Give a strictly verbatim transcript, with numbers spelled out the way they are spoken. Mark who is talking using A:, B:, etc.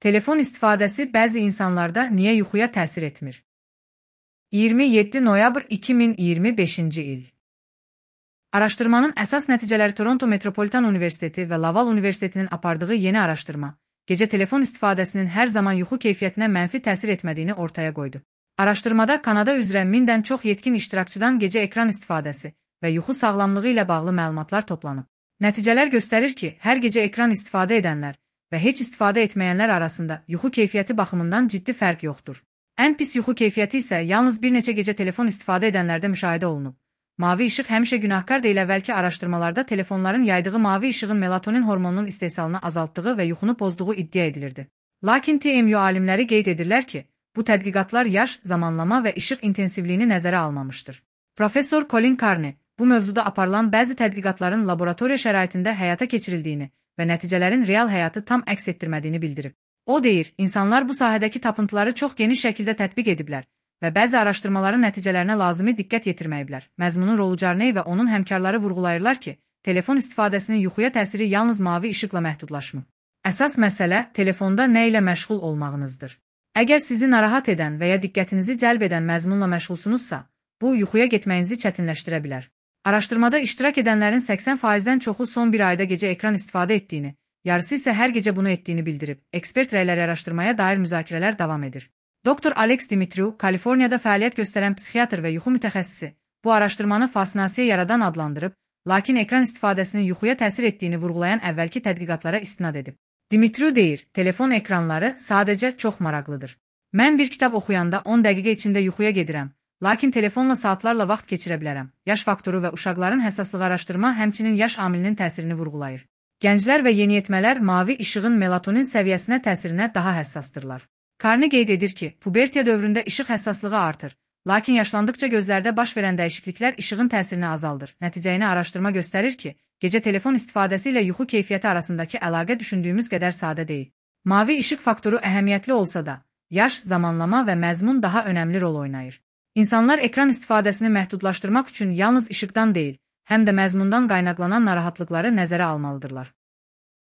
A: Telefon istifadəsi bəzi insanlarda niyə yuxuya təsir etmir? iyirmi yeddi noyabr iki min iyirmi beşinci il. Araşdırmanın əsas nəticələri Toronto Metropolitan Universiteti və Laval Universitetinin apardığı yeni araşdırma, gecə telefon istifadəsinin hər zaman yuxu keyfiyyətinə mənfi təsir etmədiyini ortaya qoydu. Araşdırmada Kanada üzrə mindən çox yetkin iştirakçıdan gecə ekran istifadəsi və yuxu sağlamlığı ilə bağlı məlumatlar toplanıb. Nəticələr göstərir ki, hər gecə ekran istifadə edənlər və heç istifadə etməyənlər arasında yuxu keyfiyyəti baxımından ciddi fərq yoxdur. Ən pis yuxu keyfiyyəti isə yalnız bir neçə gecə telefon istifadə edənlərdə müşahidə olunub. Mavi işıq həmişə günahkar deyil. Əvvəlki araşdırmalarda telefonların yaydığı mavi işığın melatonin hormonunun istehsalını azaltdığı və yuxunu pozduğu iddia edilirdi. Lakin T M U alimləri qeyd edirlər ki, bu tədqiqatlar yaş, zamanlama və işıq intensivliyini nəzərə almamışdır. Professor Colin Carney bu mövzuda aparılan bəzi tədqiqatların laboratoriya şəraitində həyata keçirildiyini və nəticələrin real həyatı tam əks etdirmədiyini bildirib. O deyir, insanlar bu sahədəki tapıntıları çox geniş şəkildə tətbiq ediblər və bəzi araşdırmaların nəticələrinə lazımi diqqət yetirməyiblər. Məzmunun rolu Carney və onun həmkarları vurğulayırlar ki, telefon istifadəsinin yuxuya təsiri yalnız mavi işıqla məhdudlaşmır. Əsas məsələ telefonda nə ilə məşğul olmağınızdır. Əgər sizi narahat edən və ya diqqətinizi cəlb edən məzmunla məşğulsunuzsa, bu yuxuya getməyinizi çətinləşdirə bilər. Araşdırmada iştirak edənlərin səksən faizdən çoxu son bir ayda gecə ekran istifadə etdiyini, yarısı isə hər gecə bunu etdiyini bildirib. Ekspert rəyləri araşdırmaya dair müzakirələr davam edir. Doktor Alex Dimitriou, Kaliforniyada fəaliyyət göstərən psixiatr və yuxu mütəxəssisi, bu araşdırmanı fassinasiya yaradan adlandırıb, lakin ekran istifadəsinin yuxuya təsir etdiyini vurğulayan əvvəlki tədqiqatlara istinad edib. Dimitriou deyir, telefon ekranları sadəcə çox maraqlıdır. Mən bir kitab oxuyanda on dəqiqə içində yuxuya gedirəm, lakin telefonla saatlarla vaxt keçirə bilərəm. Yaş faktoru və uşaqların həssaslığı araşdırma həmçinin yaş amilinin təsirini vurğulayır. Gənclər və yeniyetmələr mavi işığın melatonin səviyyəsinə təsirinə daha həssasdırlar. Carney qeyd edir ki, pubertiya dövründə işıq həssaslığı artır, lakin yaşlandıqca gözlərdə baş verən dəyişikliklər işığın təsirini azaldır. Nəticəyini araşdırma göstərir ki, gecə telefon istifadəsi ilə yuxu keyfiyyəti arasındakı əlaqə düşündüyümüz qədər sadə deyil. Mavi işıq faktoru əhəmiyyətli olsa da, yaş, zamanlama və məzmun daha önəmli rol oynayır. İnsanlar ekran istifadəsini məhdudlaşdırmaq üçün yalnız işıqdan deyil, həm də məzmundan qaynaqlanan narahatlıqları nəzərə almalıdırlar.